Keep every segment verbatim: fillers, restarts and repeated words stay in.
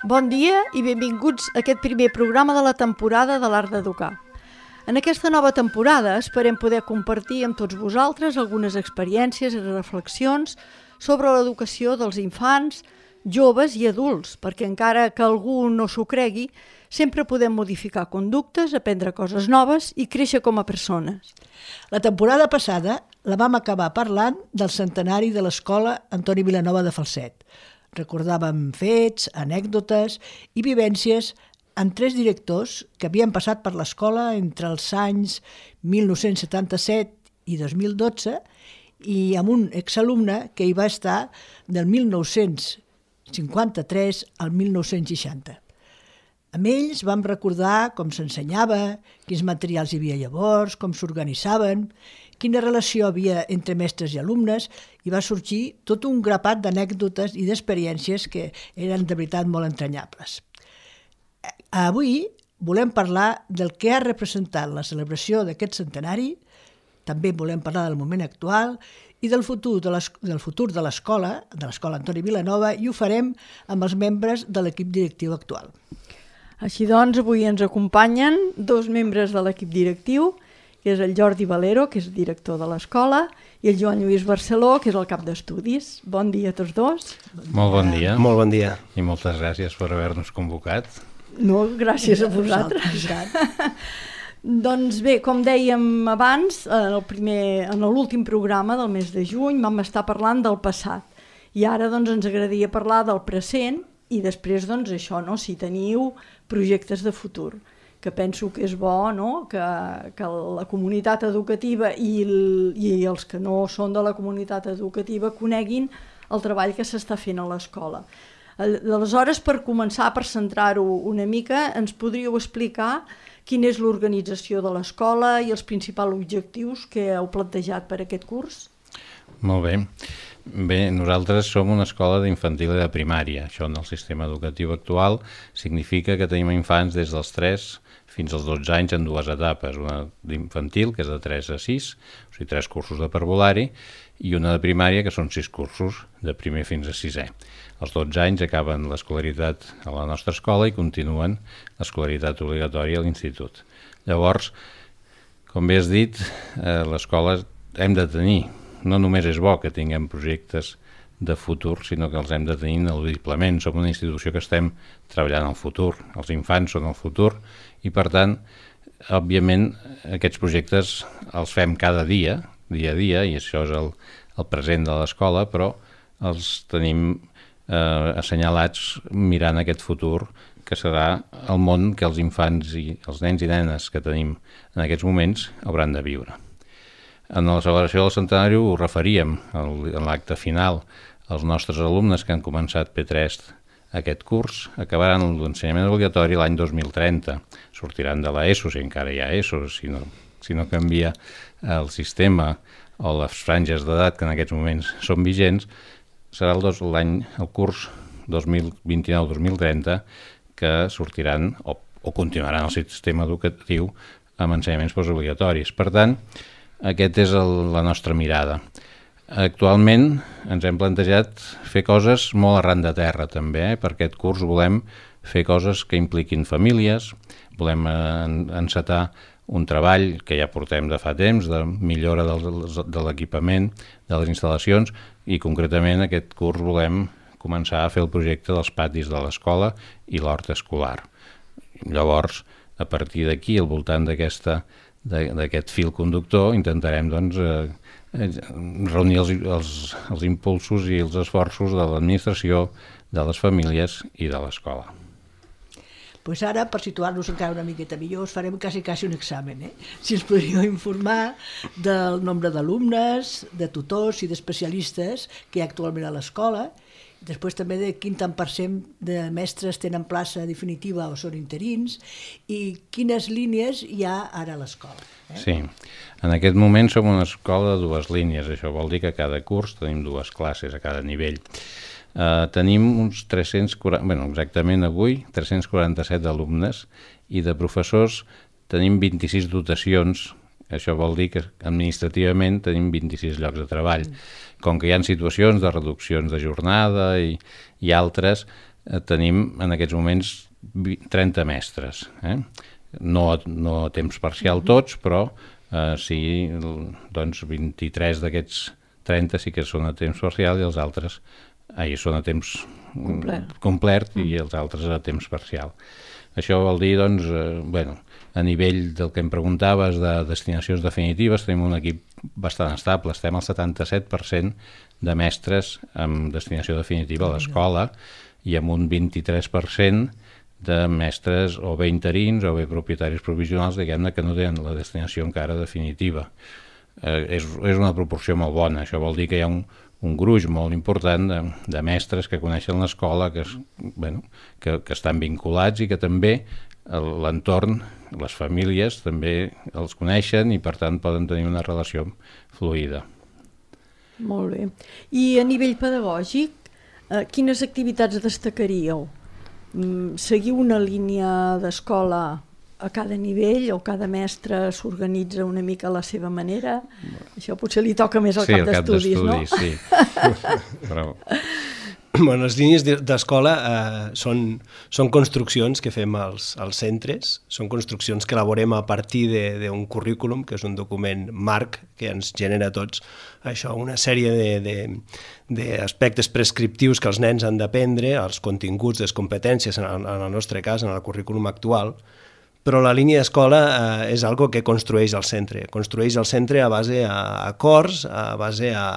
Bon dia i benvinguts a aquest primer programa de la temporada de l'Art d'Educar. En aquesta nova temporada esperem poder compartir amb tots vosaltres algunes experiències i reflexions sobre l'educació dels infants, joves i adults, perquè encara que algú no s'ho cregui, sempre podem modificar conductes, aprendre coses noves i créixer com a persones. La temporada passada la vam acabar parlant del centenari de l'Escola Antoni Vilanova de Falset. Recordàvem fets, anècdotes i vivències amb tres directors que havien passat per l'escola entre els anys mil nou-cents setanta-set i dos mil dotze i amb un exalumne que hi va estar del mil nou-cents cinquanta-tres al mil nou-cents seixanta. Amb ells vam recordar com s'ensenyava, quins materials hi havia llavors, com s'organitzaven, quina relació havia entre mestres i alumnes, i va sorgir tot un grapat d'anècdotes i d'experiències que eren de veritat molt entranyables. Avui volem parlar del que ha representat la celebració d'aquest centenari, també volem parlar del moment actual i del futur de del futur de l'escola, de l'Escola Antoni Vilanova, i ho farem amb els membres de l'equip directiu actual. Així doncs, avui ens acompanyen dos membres de l'equip directiu, que és el Jordi Valero, que és director de l'escola, i el Joan Lluís Barceló, que és el cap d'estudis. Bon dia a tots dos. Molt bon dia. Molt bon dia. I moltes gràcies per haver-nos convocat. No, gràcies a vosaltres. Doncs bé, com dèiem abans, en el primer, en l'últim programa del mes de juny vam estar parlant del passat. I ara doncs, ens agradaria parlar del present i després doncs, això, no? Si teniu projectes de futur, que penso que és bo, no? que, que la comunitat educativa i, el, i els que no són de la comunitat educativa coneguin el treball que s'està fent a l'escola. Aleshores, per començar, per centrar-ho una mica, ens podríeu explicar quina és l'organització de l'escola i els principals objectius que heu plantejat per aquest curs? Molt bé. Bé, nosaltres som una escola d'infantil i de primària. Això en el sistema educatiu actual significa que tenim infants des dels tres fins als dotze anys en dues etapes. Una d'infantil, que és de tres a sis, o sigui, tres cursos de parvulari, i una de primària, que són sis cursos, de primer fins a sisè. Als dotze anys acaben l'escolaritat a la nostra escola i continuen l'escolaritat obligatòria a l'institut. Llavors, com bé has dit, eh, l'escola hem de tenir. No només és bo que tinguem projectes de futur, sinó que els hem de tenir ineludiblement. Som una institució que estem treballant al futur. Els infants són el futur i, per tant, òbviament, aquests projectes els fem cada dia, dia a dia, i això és el, el present de l'escola, però els tenim eh, assenyalats mirant aquest futur que serà el món que els infants i els nens i nenes que tenim en aquests moments hauran de viure. En la celebració del centenari ho referíem en l'acte final. Els nostres alumnes que han començat P tres aquest curs acabaran l'ensenyament obligatori l'any dos mil trenta. Sortiran de l'ESO, si encara hi ha ESO, si no, si no canvia el sistema o les franges d'edat que en aquests moments són vigents. Serà el, dos, l'any, el curs dos mil vint-i-nou dos mil trenta que sortiran o, o continuaran el sistema educatiu amb ensenyaments postobligatoris. Per tant, aquest és el, la nostra mirada. Actualment ens hem plantejat fer coses molt arran de terra també. Eh? Per aquest curs volem fer coses que impliquin famílies, volem en, encetar un treball que ja portem de fa temps, de millora del, de l'equipament, de les instal·lacions, i concretament aquest curs volem començar a fer el projecte dels patis de l'escola i l'hort escolar. Llavors, a partir d'aquí, al voltant d'aquesta d'aquest fil conductor, intentarem doncs, eh, reunir els, els, els impulsos i els esforços de l'administració, de les famílies i de l'escola. Pues ara, per situar-nos encara una miqueta millor, us farem quasi, quasi un examen. Eh? Si ens podríeu informar del nombre d'alumnes, de tutors i d'especialistes que hi ha actualment a l'escola, després també de quin tant per cent de mestres tenen plaça definitiva o són interins i quines línies hi ha ara a l'escola. Eh? Sí, en aquest moment som una escola de dues línies, això vol dir que a cada curs tenim dues classes a cada nivell. Uh, tenim uns tres-cents quaranta, bueno, exactament avui, tres-cents quaranta-set alumnes i de professors tenim vint-i-sis dotacions Això vol dir que administrativament tenim vint-i-sis llocs de treball. Com que hi ha situacions de reduccions de jornada i, i altres, eh, tenim en aquests moments trenta mestres. Eh? No, no a temps parcial tots, però eh, sí, doncs vint-i-tres d'aquests trenta sí que són a temps parcial i els altres ahir són a temps complet, complet i els altres a temps parcial. Això vol dir, doncs, eh, bueno, a nivell del que em preguntaves de destinacions definitives, tenim un equip bastant estable, estem al setanta-set per cent de mestres amb destinació definitiva a l'escola i amb un vint-i-tres per cent de mestres o bé interins o bé propietaris provisionals, diguem-ne, que no tenen la destinació encara definitiva. Eh, és, és una proporció molt bona, això vol dir que hi ha un, un gruix molt important de, de mestres que coneixen l'escola, que, es, bueno, que, que estan vinculats i que també l'entorn, les famílies també els coneixen i per tant poden tenir una relació fluida. Molt bé. I a nivell pedagògic, eh, quines activitats destacaríeu? Seguiu una línia d'escola a cada nivell o cada mestre s'organitza una mica a la seva manera? Això potser li toca més al sí, cap d'estudis, no? Sí, el cap d'estudis, sí. Però... Bueno, les línies d'escola eh, són, són construccions que fem als, als centres, són construccions que elaborem a partir d'un currículum, que és un document marc que ens genera a tots això, una sèrie d'aspectes prescriptius que els nens han d'aprendre, els continguts, les competències, en el, en el nostre cas, en el currículum actual, però la línia d'escola eh, és algo que construeix el centre, construeix el centre a base a acords, a base a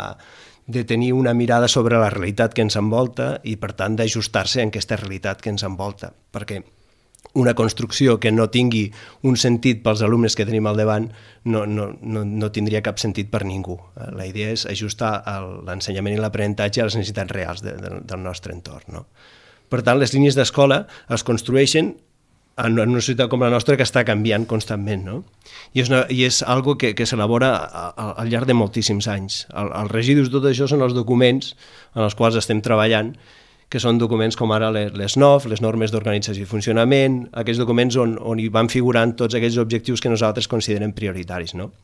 de tenir una mirada sobre la realitat que ens envolta i, per tant, d'ajustar-se en aquesta realitat que ens envolta. Perquè una construcció que no tingui un sentit pels alumnes que tenim al davant no, no, no, no tindria cap sentit per ningú. La idea és ajustar l'ensenyament i l'aprenentatge a les necessitats reals de, de, del nostre entorn. No? Per tant, les línies d'escola es construeixen en una societat com la nostra que està canviant constantment, no? I és, una, i és algo que, que s'elabora al llarg de moltíssims anys. El, els residus de tot això són els documents en els quals estem treballant, que són documents com ara les, les N O F, les normes d'organització i funcionament, aquests documents on, on hi van figurant tots aquells objectius que nosaltres considerem prioritaris, no?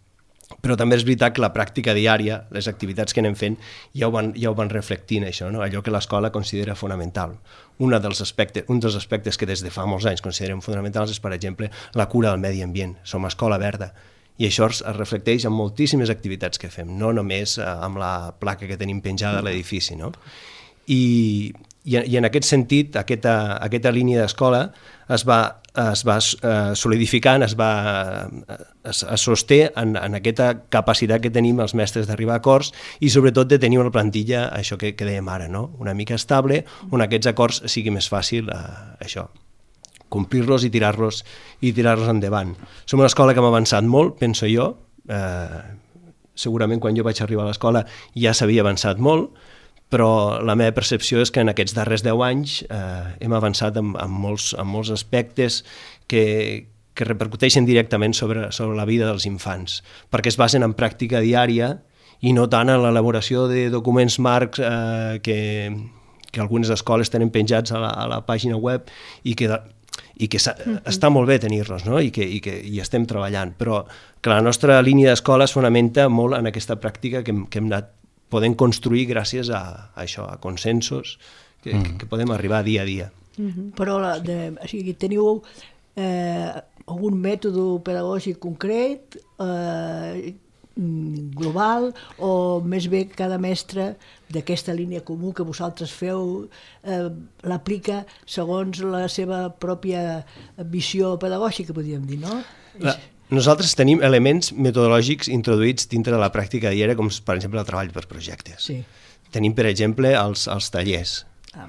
Però també és veritat que la pràctica diària, les activitats que anem fent, ja ho van, ja ho van reflectint, això, no? Allò que l'escola considera fonamental. Una dels aspectes, un dels aspectes que des de fa molts anys considerem fonamentals és, per exemple, la cura del medi ambient. Som escola verda. I això es reflecteix en moltíssimes activitats que fem, no només amb la placa que tenim penjada a l'edifici, no? I, i, i en aquest sentit, aquesta, aquesta línia d'escola es va, es va eh, solidificant, es va es, es sosté en, en aquesta capacitat que tenim els mestres d'arribar a acords i sobretot de tenir una plantilla, això que, que dèiem ara, no? Una mica estable, on aquests acords sigui més fàcil eh, això, complir-los i tirar-los i tirar-los endavant. Som una escola que hem avançat molt, penso jo, eh, segurament quan jo vaig arribar a l'escola ja s'havia avançat molt, però la meva percepció és que en aquests darrers deu anys eh, hem avançat en, en, molts, en molts aspectes que, que repercuteixen directament sobre, sobre la vida dels infants, perquè es basen en pràctica diària i no tant en l'elaboració de documents marcs eh, que, que algunes escoles tenen penjats a la, a la pàgina web i que, i que mm-hmm. està molt bé tenir-los, no? I que i que hi estem treballant, però que la nostra línia d'escola es fonamenta molt en aquesta pràctica que, que hem anat podem construir gràcies a, a això, a consensos que, mm. que, que podem arribar dia a dia. Mm-hmm. Però la, de, o sigui, teniu eh, algun mètode pedagògic concret, eh, global, o més bé cada mestre d'aquesta línia comú que vosaltres feu eh, l'aplica segons la seva pròpia visió pedagògica, podríem dir, no? La... Nosaltres tenim elements metodològics introduïts dintre de la pràctica diària, com per exemple el treball per projectes. Sí. Tenim, per exemple, els, els tallers,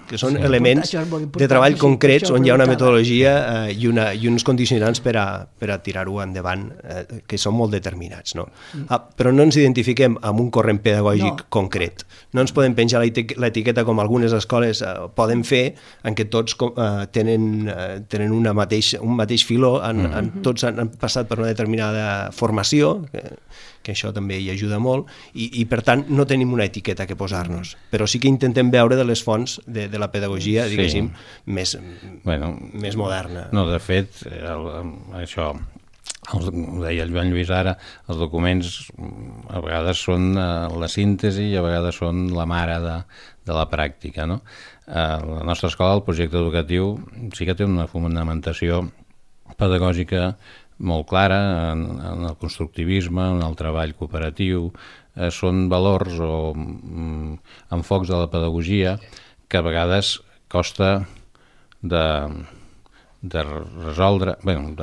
que són sí, elements de treball concrets on hi ha una metodologia eh, i, una, i uns condicionants per a, per a tirar-ho endavant, eh, que són molt determinats. No? Mm. Ah, però no ens identifiquem amb un corrent pedagògic no. concret. No ens podem penjar l'etiqueta com algunes escoles eh, poden fer, en què tots eh, tenen, eh, tenen una mateix, un mateix filó, en, mm. en, tots han, han passat per una determinada formació, que, que això també hi ajuda molt, i, i per tant no tenim una etiqueta que posar-nos, però sí que intentem veure de les fonts de, de la pedagogia, diguéssim, sí. més, bueno, més moderna. No, de fet, el, això, els, ho deia el Joan Lluís ara, els documents a vegades són la síntesi i a vegades són la mare de, de la pràctica, no? A la nostra escola, el projecte educatiu, sí que té una fonamentació pedagògica molt clara en, en el constructivisme, en el treball cooperatiu. Eh, són valors o mm, enfocs de la pedagogia que a vegades costa de, de resoldre, bueno,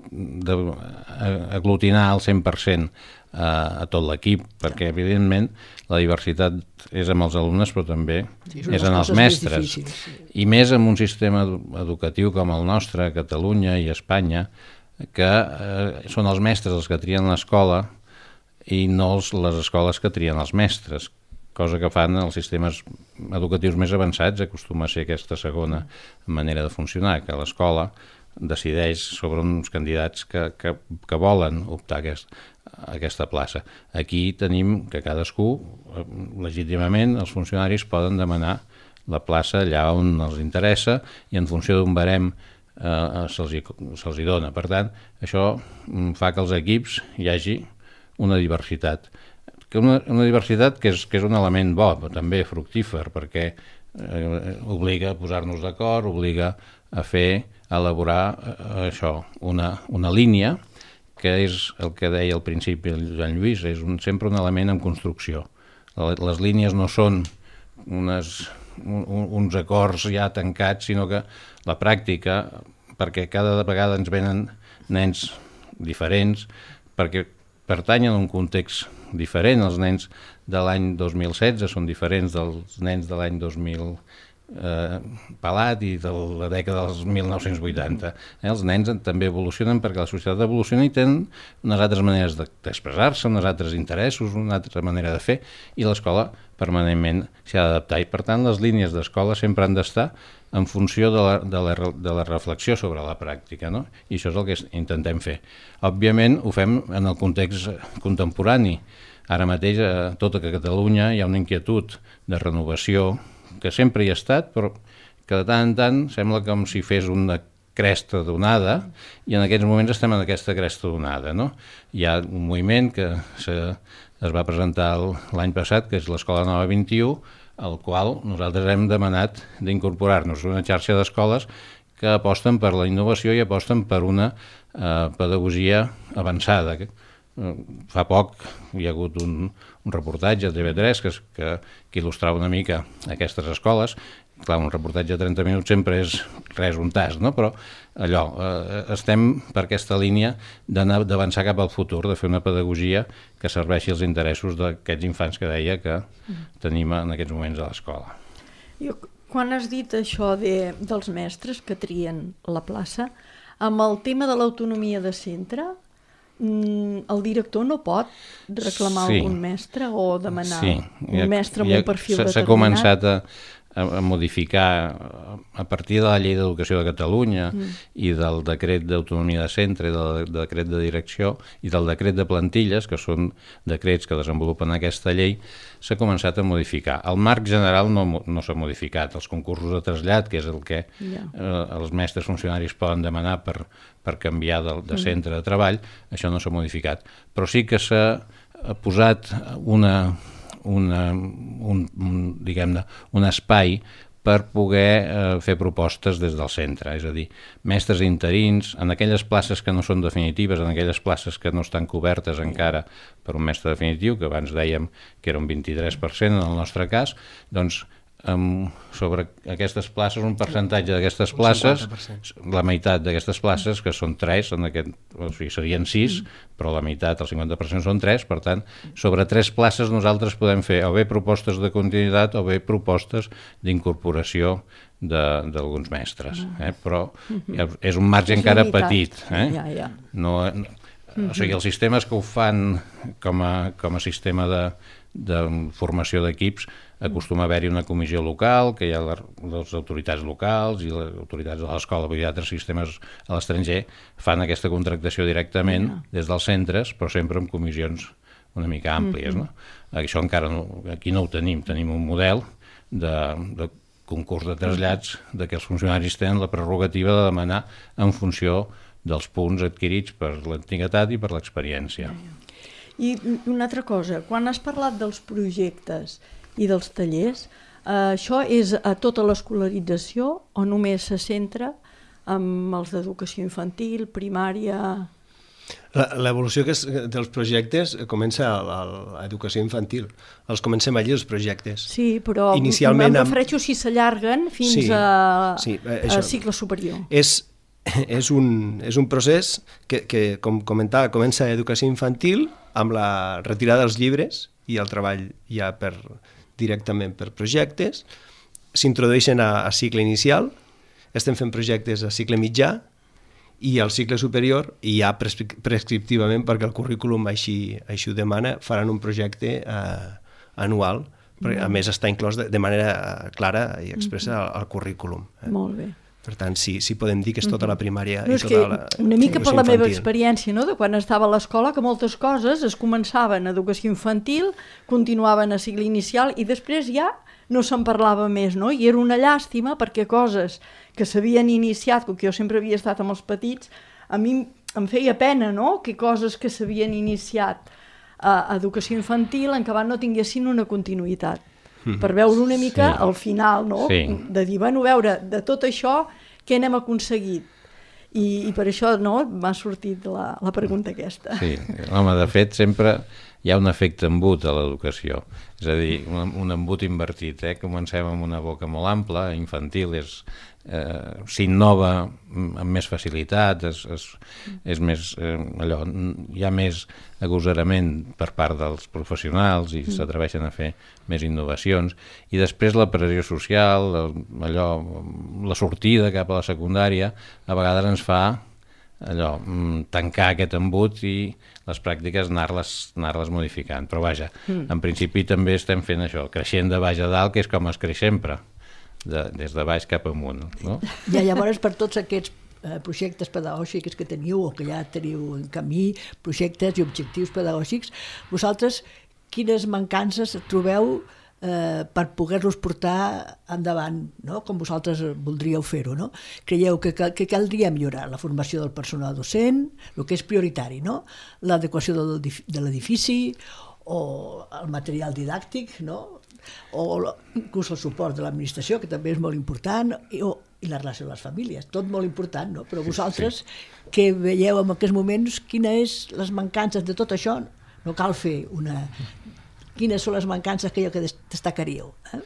d'aglutinar al cent per cent a, a tot l'equip, perquè evidentment la diversitat és amb els alumnes però també sí, és en els mestres. Sí. I més en un sistema educatiu com el nostre, a Catalunya i a Espanya, que eh, són els mestres els que trien l'escola i no els, les escoles que trien els mestres, cosa que fan els sistemes educatius més avançats. Acostuma a ser aquesta segona manera de funcionar, que l'escola decideix sobre uns candidats que, que, que volen optar a, aquest, a aquesta plaça. Aquí tenim que cadascú, legítimament, els funcionaris poden demanar la plaça allà on els interessa i en funció d'un barem eh, se'ls hi, se'ls hi dona. Per tant, això fa que els equips hi hagi una diversitat. Que una, una diversitat que és, que és un element bo, però també fructífer, perquè eh, obliga a posar-nos d'acord, obliga a fer, a elaborar eh, això, una, una línia, que és el que deia al principi el Joan Lluís, és un, sempre un element en construcció. Les línies no són unes, un, uns acords ja tancats, sinó que la pràctica, perquè cada vegada ens venen nens diferents, perquè pertanyen a un context diferent. Els nens de l'any dos mil setze són diferents dels nens de l'any dos mil eh, pelat i de la dècada dels mil nou-cents vuitanta. Eh, els nens també evolucionen perquè la societat evoluciona i tenen unes altres maneres d'expressar-se, uns altres interessos, una altra manera de fer, i l'escola permanentment s'ha d'adaptar. I per tant les línies d'escola sempre han d'estar en funció de la, de, la, de la reflexió sobre la pràctica, no? I això és el que intentem fer. Òbviament ho fem en el context contemporani. Ara mateix a tota Catalunya hi ha una inquietud de renovació que sempre hi ha estat, però que de tant en tant sembla com si fes una cresta d'onada, i en aquests moments estem en aquesta cresta d'onada, no? Hi ha un moviment que se, es va presentar l'any passat, que és l'Escola Nova vint-i-u, al qual nosaltres hem demanat d'incorporar-nos una xarxa d'escoles que aposten per la innovació i aposten per una eh, pedagogia avançada. Fa poc hi ha hagut un, un reportatge a T V tres que, que, que il·lustrava una mica aquestes escoles. Clar, un reportatge de trenta minuts sempre és res, un tast, no? Però allò, eh, estem per aquesta línia d'anar d'avançar cap al futur, de fer una pedagogia que serveixi als interessos d'aquests infants que deia que tenim en aquests moments a l'escola. Jo, quan has dit això de, dels mestres que trien la plaça, amb el tema de l'autonomia de centre, el director no pot reclamar sí. algun mestre o demanar sí. un ha, mestre amb ha, un perfil determinat? S'ha començat a a modificar a partir de la Llei d'Educació de Catalunya mm. i del decret d'autonomia de centre, del decret de direcció i del decret de plantilles, que són decrets que desenvolupen aquesta llei, s'ha començat a modificar. El marc general no, no s'ha modificat. Els concursos de trasllat, que és el que yeah. eh, els mestres funcionaris poden demanar per, per canviar de, de centre de treball, això no s'ha modificat. Però sí que s'ha posat una... Una, un, un, diguem-ne, un espai per poder eh, fer propostes des del centre, és a dir, mestres interins, en aquelles places que no són definitives, en aquelles places que no estan cobertes encara per un mestre definitiu, que abans dèiem que era un vint-i-tres per cent en el nostre cas, doncs Um, sobre aquestes places, un percentatge d'aquestes places, la meitat d'aquestes places, que són tres, en aquest, o sigui, serien sis, mm. però la meitat, el cinquanta per cent són tres, per tant, sobre tres places nosaltres podem fer o bé propostes de continuïtat o bé propostes d'incorporació d'alguns mestres, eh? Però mm-hmm. és un marge és encara limitat. Petit. Eh? Ja, ja. No, no, mm-hmm. O sigui, els sistemes que ho fan com a, com a sistema de, de formació d'equips acostuma a haver-hi una comissió local, que hi ha les autoritats locals i les autoritats de l'escola, vull dir, altres sistemes a l'estranger fan aquesta contractació directament yeah. des dels centres, però sempre amb comissions una mica àmplies. Mm-hmm. No? Això encara no, aquí no ho tenim, tenim un model de, de concurs de trasllats de que els funcionaris tenen la prerrogativa de demanar en funció dels punts adquirits per l'antiguitat i per l'experiència. I una altra cosa, quan has parlat dels projectes i dels tallers, eh, això és a tota l'escolarització o només se centra amb els d'educació infantil, primària? L'evolució que és dels projectes comença a l'educació infantil. Els comencem allí, els projectes. Sí, però Inicialment em refereixo si s'allarguen fins sí, a, sí, a cicle superior. És, és, un, és un procés que, que, com comentava, comença a educació infantil amb la retirada dels llibres i el treball ja per, directament per projectes. S'introdueixen a, a cicle inicial, estem fent projectes a cicle mitjà i al cicle superior, i ja prescriptivament, perquè el currículum així, així ho demana, faran un projecte eh, anual, perquè a més està inclòs de, de manera clara i expressa al, al currículum. Eh? Molt bé. Per tant, sí, sí podem dir que és tota la primària no, i tota la una mica per la infantil. Meva experiència, no?, de quan estava a l'escola, que moltes coses es començaven a educació infantil, continuaven a cicle inicial i després ja no se'n parlava més, no? I era una llàstima perquè coses que s'havien iniciat, com que jo sempre havia estat amb els petits, a mi em feia pena, no?, que coses que s'havien iniciat a educació infantil en acabat no tinguessin una continuïtat. Mm. Per veure una mica sí. al final, no?, sí. de dir, bueno, veure, de tot això, què n'hem aconseguit? I, i per això, no?, m'ha sortit la, la pregunta aquesta. Sí, home, de fet, sempre hi ha un efecte embut a l'educació, és a dir, un, un embut invertit, eh? Comencem amb una boca molt ampla, infantil, és, eh, s'innova amb més facilitat, és, és, és més, eh, allò, hi ha més agosarament per part dels professionals i mm. s'atreveixen a fer més innovacions, i després la pressió social, allò, la sortida cap a la secundària, a vegades ens fa allò, tancar aquest embut i les pràctiques anar-les anar-les modificant. Però vaja, mm. en principi també estem fent això, creixent de baix a dalt, que és com es creix sempre, de, des de baix cap amunt. No? I llavors, per tots aquests eh, projectes pedagògics que teniu o que ja teniu en camí, projectes i objectius pedagògics, vosaltres quines mancances trobeu Eh, per poder-los portar endavant, no? Com vosaltres voldríeu fer-ho, no? Creieu que, que, que caldria millorar la formació del personal docent, el que és prioritari, no? L'adequació del, de l'edifici o el material didàctic, no? O inclús el suport de l'administració, que també és molt important, i, o, i la relació amb les famílies, tot molt important, no? Però vosaltres, sí, sí. que veieu en aquests moments quines les mancances de tot això, no cal fer una... Quines són les mancances que, que destacaríeu? Eh?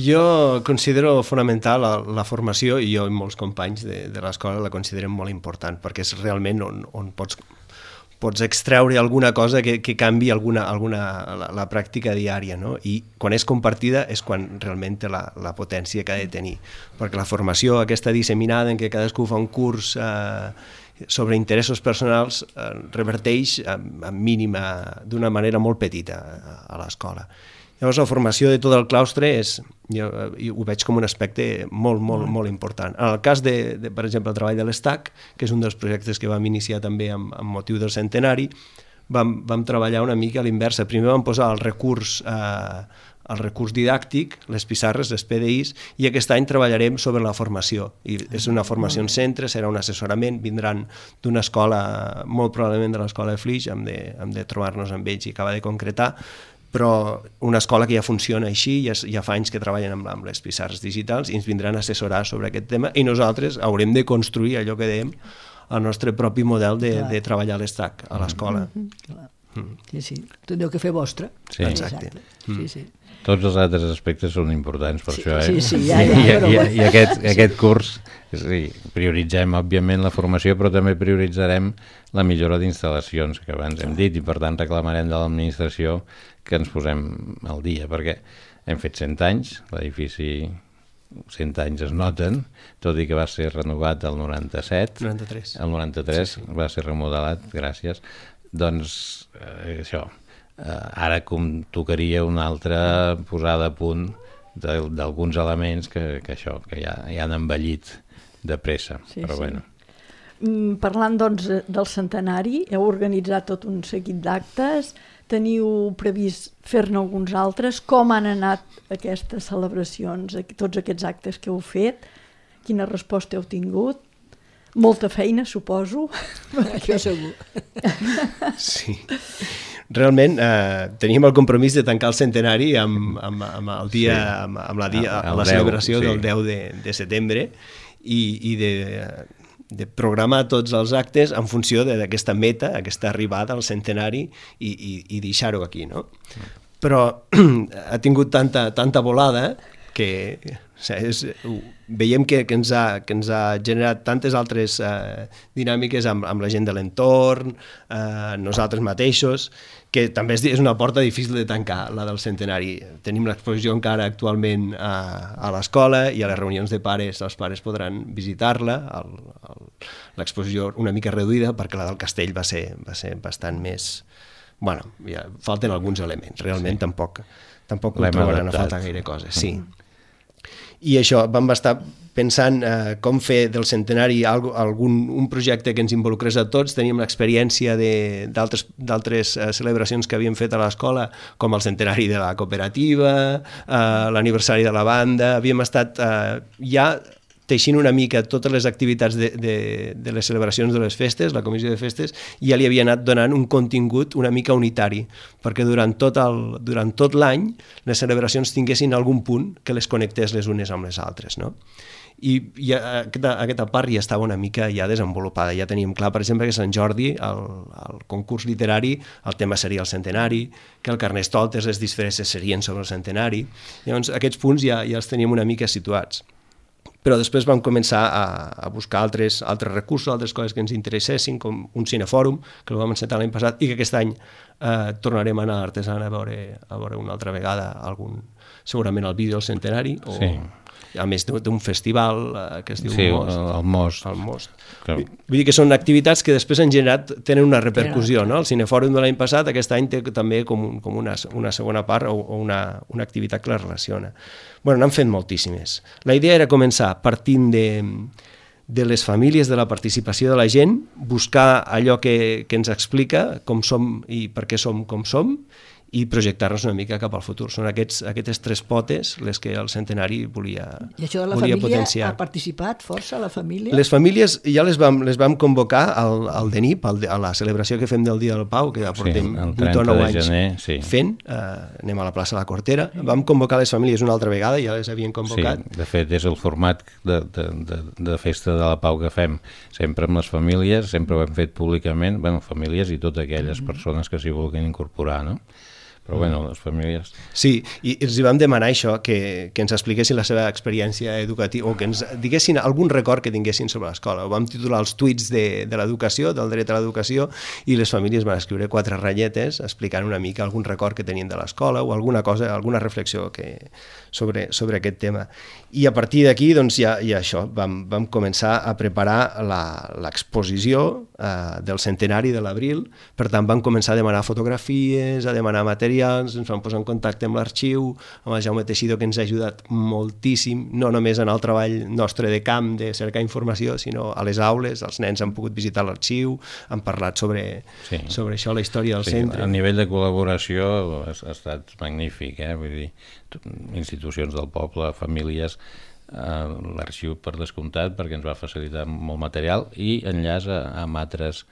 Jo considero fonamental la, la formació, i jo i molts companys de, de l'escola la considerem molt important, perquè és realment on, on pots, pots extreure alguna cosa que, que canvi alguna, alguna, la, la pràctica diària, no? I quan és compartida és quan realment té la, la potència que ha de tenir, perquè la formació aquesta disseminada en què cadascú fa un curs eh, sobre interessos personals eh, reverteix en, en mínima d'una manera molt petita a, a l'escola. Llavors la formació de tot el claustre és, jo, jo ho veig com un aspecte molt, molt, molt important. En el cas de, de per exemple, el treball de l'ESTAC, que és un dels projectes que vam iniciar també amb, amb motiu del centenari, vam, vam treballar una mica a l'inversa. Primer vam posar el recurs eh, el recurs didàctic, les pissarres, les P D Is, i aquest any treballarem sobre la formació. I és una formació en centre, serà un assessorament, vindran d'una escola, molt probablement de l'escola de Flix, hem de, hem de trobar-nos amb ells i acabar de concretar, però una escola que ja funciona així, ja, ja fa anys que treballen amb, amb les pissarres digitals i ens vindran a assessorar sobre aquest tema i nosaltres haurem de construir allò que dèiem, el nostre propi model de, de treballar l'ESTAC a l'escola. Mm-hmm. Mm. Sí, sí, tindreu que fer vostre. Sí. Exacte. Mm. Sí, sí. Tots els altres aspectes són importants per sí, això, eh? Sí, sí, ja, ja, I, però... i, i aquest, sí. aquest curs, sí, prioritzem, òbviament, la formació, però també prioritzarem la millora d'instal·lacions, que abans hem dit, i per tant reclamarem de l'administració que ens posem al dia, perquè hem fet cent anys, l'edifici cent anys es noten, tot i que va ser renovat el noranta-set, noranta-tres. El noranta-tres sí, sí. Va ser remodelat, gràcies. Doncs eh, això, eh, ara com tocaria una altra posada a punt d'alguns elements que, que això, que ja, ja han envellit de pressa, sí, però sí. Bueno. Mm, parlant doncs del centenari, heu organitzat tot un seguit d'actes, teniu previst fer-ne alguns altres, com han anat aquestes celebracions, tots aquests actes que heu fet, quina resposta heu tingut? Molta feina, suposo. Això segur. Sí. Realment eh, teníem el compromís de tancar el centenari amb, amb, amb el dia, sí. amb, amb la, dia, amb la celebració deu, sí. del deu de, de setembre i, i de, de programar tots els actes en funció d'aquesta meta, aquesta arribada al centenari i, i, i deixar-ho aquí, no? Però ha tingut tanta, tanta volada que o sigui, és, veiem que, que, ens ha, que ens ha generat tantes altres eh, dinàmiques amb, amb la gent de l'entorn, eh, nosaltres mateixos, que també és, és una porta difícil de tancar, la del centenari. Tenim l'exposició encara actualment a, a l'escola i a les reunions de pares els pares podran visitar-la, l'exposició una mica reduïda perquè la del castell va ser, va ser bastant més... Bueno, ja falten alguns elements, realment sí. tampoc, tampoc trobaran a faltar gaire coses. Sí. I això, vam estar pensant eh, com fer del centenari algun, un projecte que ens involucrés a tots. Teníem l'experiència d'altres eh, celebracions que havíem fet a l'escola, com el centenari de la cooperativa, eh, l'aniversari de la banda. Havíem estat eh, ja teixint una mica totes les activitats de, de, de les celebracions de les festes, la comissió de festes, i ja li havia anat donant un contingut una mica unitari, perquè durant tot el, durant tot l'any les celebracions tinguessin algun punt que les connectés les unes amb les altres, no? I, i aquesta, aquesta part ja estava una mica ja desenvolupada, ja teníem clar, per exemple, que Sant Jordi, el, el concurs literari, el tema seria el centenari, que el Carnestoltes, les disfresses serien sobre el centenari. Llavors, aquests punts ja, ja els teníem una mica situats. Però després vam començar a, a buscar altres, altres recursos, altres coses que ens interessessin, com un cinefòrum, que el vam encetar l'any passat, i que aquest any eh, tornarem a anar a Artesana a veure, a veure una altra vegada algun, segurament el vídeo del centenari, o, sí. a més d'un festival eh, que es diu sí, Most. el Most. El Most. Que... Vull dir que són activitats que després han generat, tenen una repercussió, no? El cinefòrum de l'any passat, aquest any té també com, un, com una, una segona part o, o una, una activitat que la relaciona. Bueno, n'han fet moltíssimes. La idea era començar partint de, de les famílies, de la participació de la gent, buscar allò que, que ens explica com som i per què som com som, i projectar-nos una mica cap al futur. Són aquests, aquestes tres potes les que el centenari volia potenciar. I això de la família ha participat força, la família? Les famílies ja les vam, les vam convocar al, al D E N I P, al, a la celebració que fem del Dia del Pau, que ja portem sí, vuit o nou anys gener, sí. fent, eh, anem a la plaça de la Cortera. Vam convocar les famílies una altra vegada, ja les havien convocat. Sí, de fet, és el format de, de, de, de festa de la Pau que fem sempre amb les famílies, sempre ho hem fet públicament, bueno, famílies i totes aquelles persones que s'hi vulguin incorporar, no? Però bueno, les famílies... Sí, i els vam demanar això, que, que ens expliquessin la seva experiència educativa o que ens diguessin algun record que tinguessin sobre l'escola. Ho vam titular els tuits de, de l'educació, del dret a l'educació, i les famílies van escriure quatre ratlletes explicant una mica algun record que tenien de l'escola o alguna cosa, alguna reflexió que, sobre, sobre aquest tema. I a partir d'aquí, doncs, ja, ja això, vam, vam començar a preparar l'exposició eh, del centenari de l'abril, per tant vam començar a demanar fotografies, a demanar materials, ens vam posar en contacte amb l'arxiu, amb el Jaume Teixidor, que ens ha ajudat moltíssim, no només en el treball nostre de camp, de cercar informació, sinó a les aules, els nens han pogut visitar l'arxiu, han parlat sobre, sí. sobre això, la història del sí, centre. A nivell de col·laboració ha, ha estat magnífic, eh? Vull dir, institucions del poble, famílies, eh, l'arxiu per descomptat, perquè ens va facilitar molt material, i enllaç a, amb altres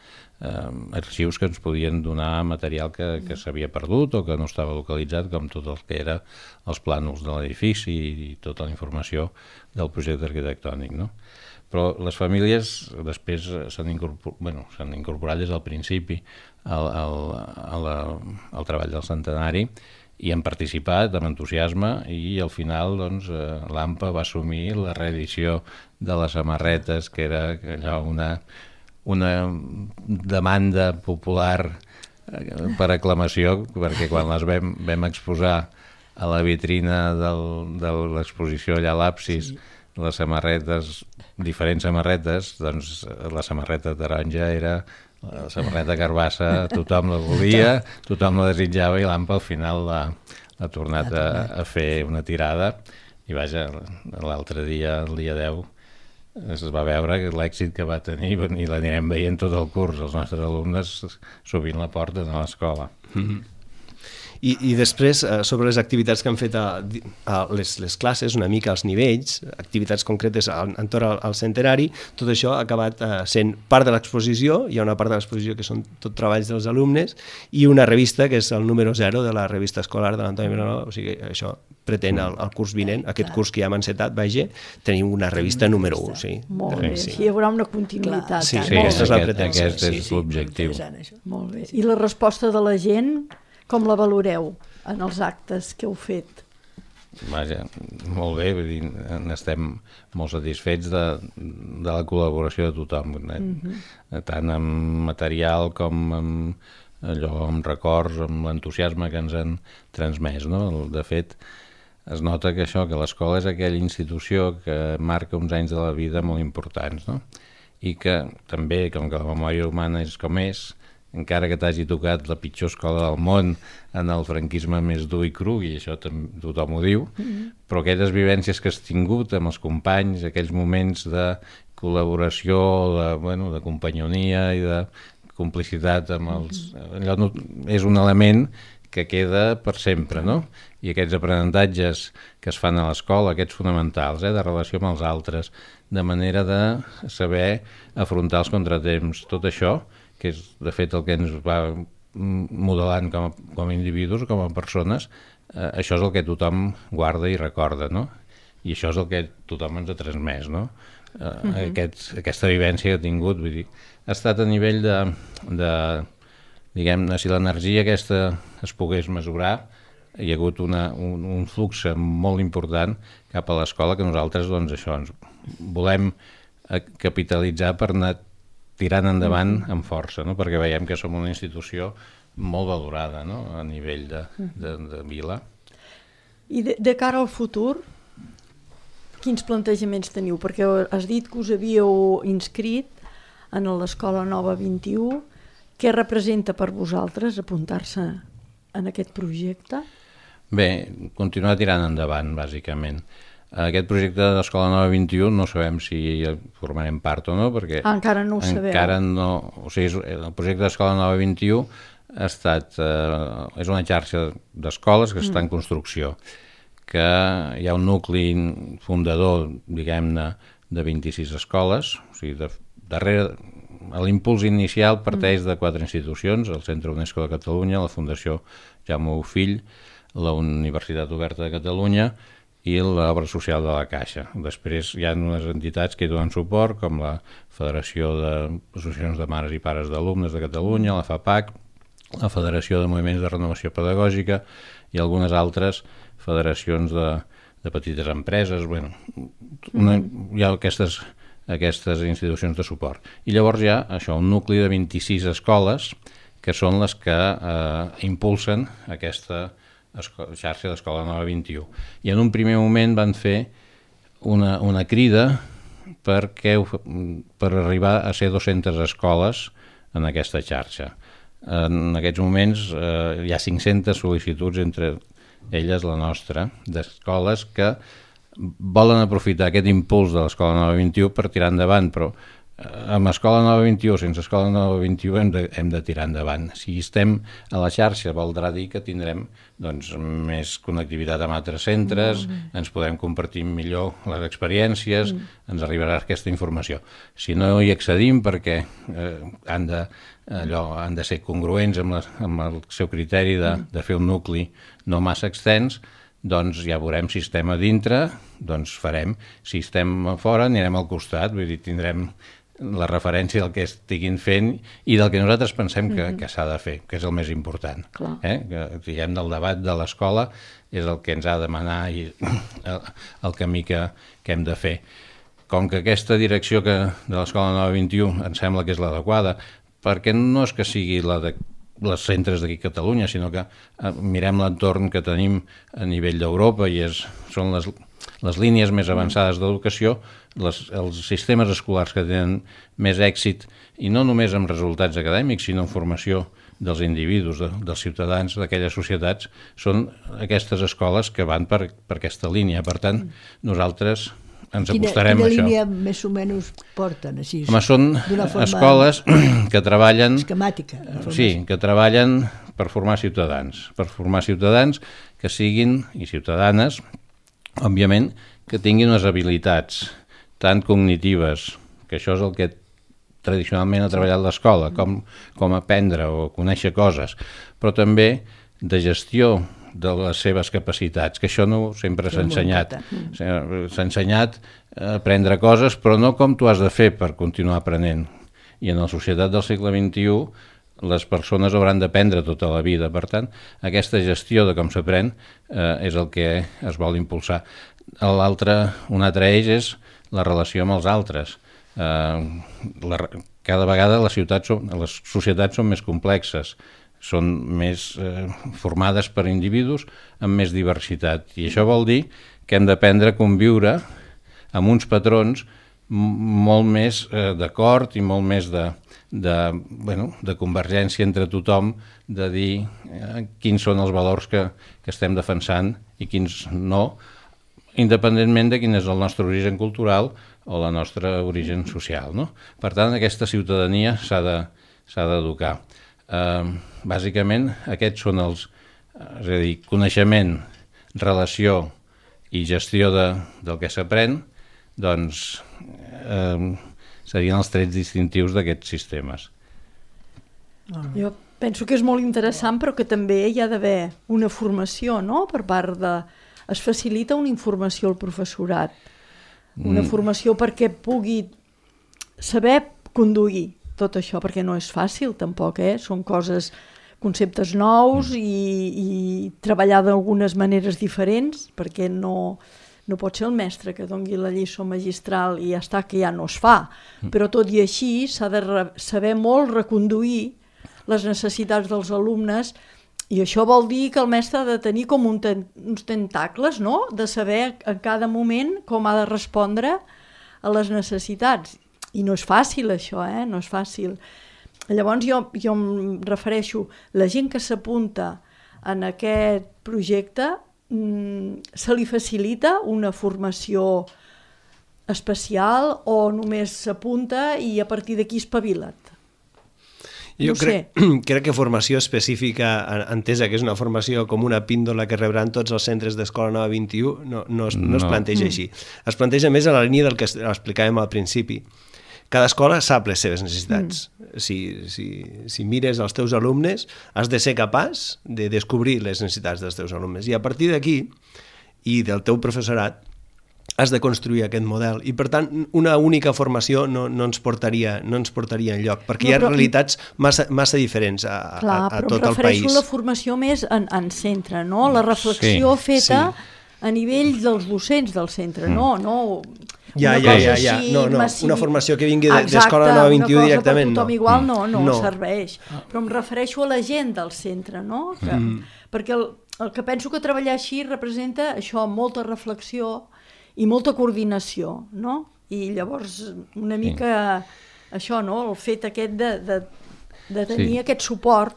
eh, arxius que ens podien donar material que, que s'havia perdut o que no estava localitzat, com tot el que era els plànols de l'edifici i tota la informació del projecte arquitectònic, no? Però les famílies després s'han incorporat, bueno, s'han incorporat des del principi al, al, a la, al treball del centenari i han participat amb entusiasme i al final doncs, l'A M P A va assumir la reedició de les samarretes, que era allò una, una demanda popular per aclamació, perquè quan les vam, vam exposar a la vitrina del, de l'exposició allà a l'Absis, sí. les samarretes, diferents samarretes, doncs la samarreta taronja era la samarreta carbassa, tothom la volia, tothom la desitjava i l'A M P A al final l'ha tornat a, a fer una tirada i vaja, l'altre dia, el dia deu, es va veure l'èxit que va tenir i l'anirem veient tot el curs, els nostres alumnes sovint la porten a l'escola. Mm-hmm. I, i després, eh, sobre les activitats que han fet a, a les, les classes, una mica als nivells, activitats concretes entorn al, al centenari, tot això ha acabat eh, sent part de l'exposició. Hi ha una part de l'exposició que són tot treballs dels alumnes i una revista que és el número zero de la revista escolar de l'Antoni Vilanova, o sigui, això pretén el, el curs vinent, aquest curs que ja hem encetat, vaja, tenim una revista número un. Sí. Molt bé, sí. Hi haurà una continuïtat. Sí, sí, aquesta és la aquest, pretència. aquest és l'objectiu. Molt bé. I la resposta de la gent, com la valoreu en els actes que heu fet? Vaja, molt bé, vull dir, n'estem molt satisfets de, de la col·laboració de tothom, eh? Mm-hmm. Tant amb material com amb allò, amb records, amb l'entusiasme que ens han transmès, no? De fet, es nota que això, que l'escola és aquella institució que marca uns anys de la vida molt importants, no? I que també, com que la memòria humana és com és, encara que t'hagi tocat la pitjor escola del món en el franquisme més dur i cru, i això tothom ho diu, mm-hmm. però aquelles vivències que has tingut amb els companys, aquells moments de col·laboració, de, bueno, de companyonia i de complicitat amb els... Mm-hmm. Allò no, és un element que queda per sempre, no? I aquests aprenentatges que es fan a l'escola, aquests fonamentals, eh, de relació amb els altres, de manera de saber afrontar els contratemps, tot això, que és de fet el que ens va modelant com a, com a individus, com a persones, eh, això és el que tothom guarda i recorda, no? I això és el que tothom ens ha transmès, no? Eh, uh-huh. Aquest, aquesta vivència que ha tingut, vull dir, ha estat a nivell de... de diguem-ne, si l'energia aquesta es pogués mesurar, hi ha hagut una, un, un flux molt important cap a l'escola que nosaltres, doncs, això, ens volem capitalitzar per anar tirant endavant amb força, no? Perquè veiem que som una institució molt valorada, no? A nivell de, de, de vila. I de, de cara al futur, quins plantejaments teniu? Perquè has dit que us havíeu inscrit en l'Escola Nova vint-i-u. Què representa per vosaltres apuntar-se en aquest projecte? Bé, continuar tirant endavant, bàsicament. Aquest projecte de l'Escola Nova vint-i-u no sabem si formarem part o no, perquè... Ah, encara no ho sabeu. Encara no... O sigui, el projecte de l'Escola Nova vint-i-u ha estat... Eh, és una xarxa d'escoles que està en construcció, que hi ha un nucli fundador, diguem-ne, de vint-i-sis escoles, o sigui, de, darrere... L'impuls inicial parteix de quatre institucions, el Centre UNESCO de Catalunya, la Fundació Jaume Bofill, la Universitat Oberta de Catalunya i l'Obra Social de la Caixa. Després hi ha unes entitats que hi donen suport, com la Federació d'Associacions de Mares i Pares d'Alumnes de Catalunya, la FAPAC, la Federació de Moviments de Renovació Pedagògica i algunes altres federacions de, de petites empreses. Bueno, una, hi ha aquestes... aquestes institucions de suport. I llavors hi ha això, un nucli de vint-i-sis escoles que són les que eh, impulsen aquesta xarxa d'Escola Nova vint-i-u. I en un primer moment van fer una, una crida perquè, per arribar a ser dues-centes escoles en aquesta xarxa. En aquests moments eh, hi ha cinc-centes sol·licituds, entre elles la nostra, d'escoles que volen aprofitar aquest impuls de l'Escola Nova vint-i-u per tirar endavant, però amb Escola Nova vint-i-u, sense Escola Nova vint-i-u hem de, hem de tirar endavant. Si estem a la xarxa voldrà dir que tindrem doncs, més connectivitat amb altres centres, mm. ens podem compartir millor les experiències, mm. ens arribarà aquesta informació. Si no hi accedim perquè eh, han, de, allò, han de ser congruents amb, la, amb el seu criteri de, de fer un nucli no massa extens, doncs ja veurem si estem a dintre, doncs farem. Si estem a fora, anirem al costat, vull dir, tindrem la referència del que estiguin fent i del que nosaltres pensem que, que s'ha de fer, que és el més important. Eh? Que, diguem, del debat de l'escola és el que ens ha de manar i el, el camí que, que hem de fer. Com que aquesta direcció que, de l'Escola Nova vint-i-u ens sembla que és l'adequada, perquè no és que sigui la de les centres d'aquí a Catalunya, sinó que eh, mirem l'entorn que tenim a nivell d'Europa i és, són les, les línies més avançades d'educació, les, els sistemes escolars que tenen més èxit, i no només amb resultats acadèmics, sinó en formació dels individus, de, dels ciutadans d'aquelles societats, són aquestes escoles que van per, per aquesta línia. Per tant, nosaltres ens quina, acostarem quina a això. Quina línia més o menys porten? Així, Home, són escoles que treballen... Esquemàtica. Sí, que treballen per formar ciutadans, per formar ciutadans que siguin, i ciutadanes, òbviament, que tinguin unes habilitats tant cognitives, que això és el que tradicionalment ha treballat l'escola, com, com aprendre o conèixer coses, però també de gestió de les seves capacitats, que això no sempre s'ha ensenyat. S'ha ensenyat a aprendre coses, però no com tu has de fer per continuar aprenent. I en la societat del segle vint-i-u les persones hauran d'aprendre tota la vida. Per tant, aquesta gestió de com s'aprèn eh, és el que es vol impulsar. L'altre, un altre eix és la relació amb els altres. Eh, la, cada vegada les ciutats són, les societats són més complexes, són més eh, formades per individus amb més diversitat, i això vol dir que hem d'aprendre a conviure amb uns patrons molt més eh, d'acord i molt més de, de, bueno, de convergència entre tothom, de dir eh, quins són els valors que, que estem defensant i quins no, independentment de quin és el nostre origen cultural o la nostra origen social, no? Per tant, aquesta ciutadania s'ha de, s'ha d'educar. Uh, bàsicament, aquests són els, és a dir, coneixement, relació i gestió de, del que s'aprèn, doncs uh, serien els trets distintius d'aquests sistemes. Jo penso que és molt interessant, però que també hi ha d'haver una formació, no?, per part de... Es facilita una informació al professorat, una mm. formació perquè pugui saber conduir tot això, perquè no és fàcil tampoc, eh? Són coses, conceptes nous mm. i, i treballar d'algunes maneres diferents, perquè no, no pot ser el mestre que doni la lliçó magistral i ja està, que ja no es fa, mm. però tot i així s'ha de re, saber molt reconduir les necessitats dels alumnes. I això vol dir que el mestre ha de tenir com un ten, uns tentacles, no?, de saber en cada moment com ha de respondre a les necessitats. I no és fàcil això, eh? No és fàcil. Llavors jo, jo em refereixo, la gent que s'apunta en aquest projecte mmm, se li facilita una formació especial o només s'apunta i a partir d'aquí espavila't? Jo no crec, crec que formació específica, entesa que és una formació com una píndola que rebran tots els centres d'Escola Nova vint i u, no, no, es, no es planteja no. així. Es planteja més a la línia del que explicàvem al principi. Cada escola sap les seves necessitats. Mm. Si, si, si mires els teus alumnes, has de ser capaç de descobrir les necessitats dels teus alumnes. I a partir d'aquí, i del teu professorat, has de construir aquest model, i per tant una única formació no, no, ens, portaria, no ens portaria enlloc, perquè no, però, hi ha realitats massa, massa diferents a, clar, a, a tot el país. Però em refereixo la formació més en, en centre, no? La reflexió sí, feta sí. a nivell dels docents del centre, mm. no, no ja, ja, ja, ja. No, no. Una formació que vingui d'Escola Nova vint i u directament, no. Exacte, una cosa per tothom igual no, no, no serveix, però em refereixo a la gent del centre, no? Que, mm. Perquè el, el que penso que treballar així representa això, molta reflexió i molta coordinació, no? I llavors una mica sí. això, no? El fet aquest de, de, de tenir sí. aquest suport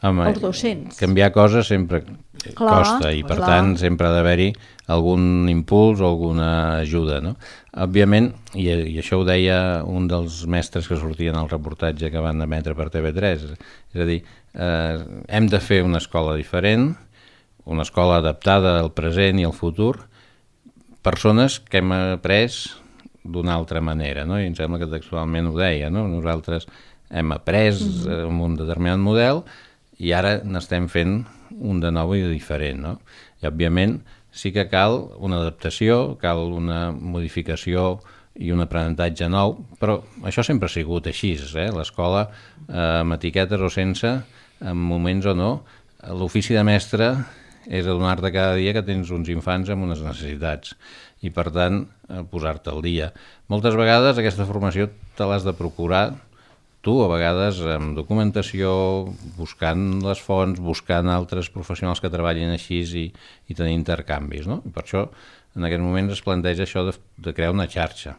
Home, als docents. Canviar coses sempre clar, costa i per clar. tant sempre ha d'haver-hi algun impuls o alguna ajuda, no? Òbviament, i, i això ho deia un dels mestres que sortien al reportatge que van emetre per T V tres, és a dir, eh, hem de fer una escola diferent, una escola adaptada al present i al futur, persones que hem après d'una altra manera, no? I em sembla que textualment ho deia, no? Nosaltres hem après mm-hmm. amb un determinat model i ara n'estem fent un de nou i diferent, no? I òbviament sí que cal una adaptació, cal una modificació i un aprenentatge nou, però això sempre ha sigut així, eh? L'escola, eh, amb etiquetes o sense, en moments o no, l'ofici de mestre és adonar-te cada dia que tens uns infants amb unes necessitats i, per tant, posar-te al dia. Moltes vegades aquesta formació te l'has de procurar tu, a vegades amb documentació, buscant les fonts, buscant altres professionals que treballin així i, i tenir intercanvis, no? I per això, en aquest moment es planteja això de, de crear una xarxa.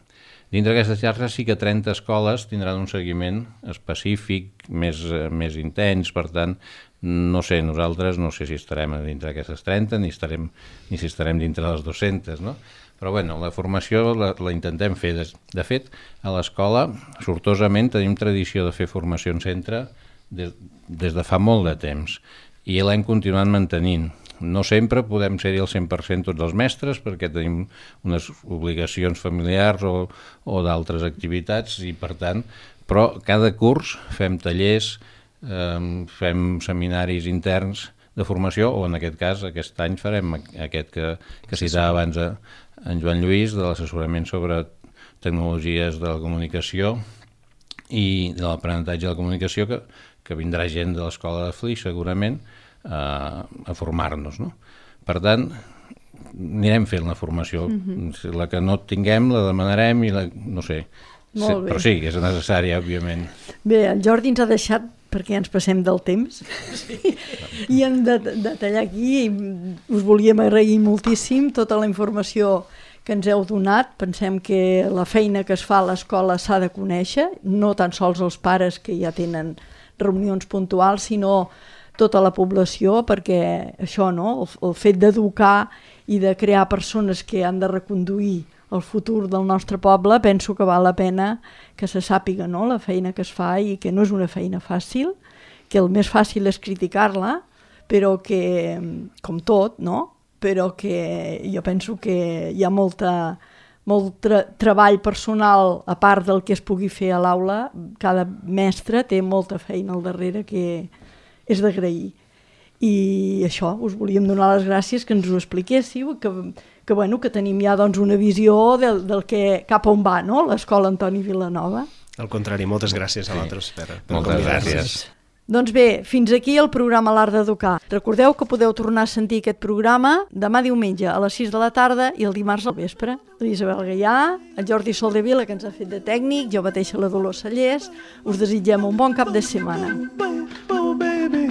Dintre d'aquesta xarxa sí que trenta escoles tindran un seguiment específic, més, més intens, per tant, no sé, nosaltres no sé si estarem dintre d'aquestes trenta ni, estarem, ni si estarem dintre de les dues-centes, no? Però bueno, la formació la, la intentem fer. De, de fet, a l'escola, sortosament, tenim tradició de fer formació en centre des, des de fa molt de temps i l'hem continuat mantenint. No sempre podem ser-hi al cent per cent tots els mestres perquè tenim unes obligacions familiars o, o d'altres activitats i per tant, però cada curs fem tallers, eh, fem seminaris interns de formació o en aquest cas aquest any farem aquest que, que citava abans a, en Joan Lluís de l'assessorament sobre tecnologies de la comunicació i de l'aprenentatge de la comunicació que, que vindrà gent de l'escola de Flix segurament a, a formar-nos, no? Per tant, anirem fent la formació. Mm-hmm. La que no tinguem la demanarem i la, no sé, Molt bé. Però sí, és necessària, òbviament. Bé, el Jordi ens ha deixat perquè ens passem del temps sí. I hem de, de tallar aquí i us volíem agrair moltíssim tota la informació que ens heu donat. Pensem que la feina que es fa a l'escola s'ha de conèixer, no tan sols els pares que ja tenen reunions puntuals, sinó tota la població, perquè això, no? el, el fet d'educar i de crear persones que han de reconduir el futur del nostre poble, penso que val la pena que se sàpiga, no? La feina que es fa i que no és una feina fàcil, que el més fàcil és criticar-la, però que, com tot, no? Però que jo penso que hi ha molta, molt tra treball personal a part del que es pugui fer a l'aula. Cada mestre té molta feina al darrere que és d'agrair. I això, us volíem donar les gràcies que ens ho expliquéssiu, que, que, bueno, que tenim ja doncs, una visió del, del que cap on va, no? L'escola Antoni Vilanova. Al contrari, moltes gràcies a vosaltres per, per moltes gràcies. Doncs bé, fins aquí el programa L'Art d'Educar. Recordeu que podeu tornar a sentir aquest programa demà diumenge a les sis de la tarda i el dimarts al vespre. L'Isabel Gaià, el Jordi Soldevila, que ens ha fet de tècnic, jo mateixa la Dolors Sallés, us desitgem un bon cap de setmana. Oh, baby,